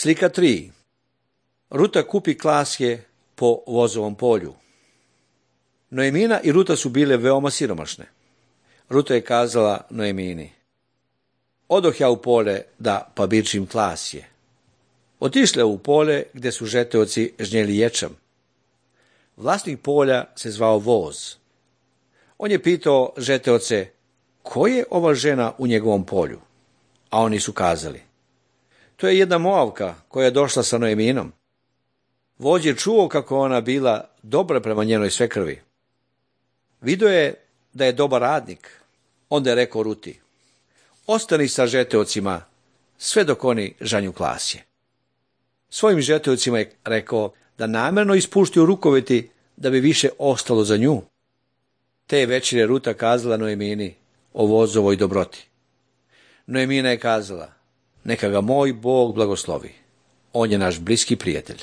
Slika 3. Ruta kupi klasje po vozovom polju. Noemina i Ruta su bile veoma siromašne. Ruta je kazala Noemini: odoh ja u pole da pabičim klasje. Otišle u pole gdje su žeteoci žnjeli ječam. Vlasnik polja se zvao Voz. On je pitao žeteoce: ko je ova žena u njegovom polju? A oni su kazali: to je jedna Moavka koja je došla sa Noeminom. Vođ je čuo kako ona bila dobra prema njenoj svekrvi. Vidio je da je dobar radnik. Onda je rekao Ruti: ostani sa žeteocima sve dok oni žanju klasje. Svojim žeteocima je rekao da namjerno ispuštaju rukoveti da bi više ostalo za nju. Te večere Ruta kazala Noemini o Vozovoj dobroti. Noemina je kazala: neka ga moj Bog blagoslovi. On je naš bliski prijatelj.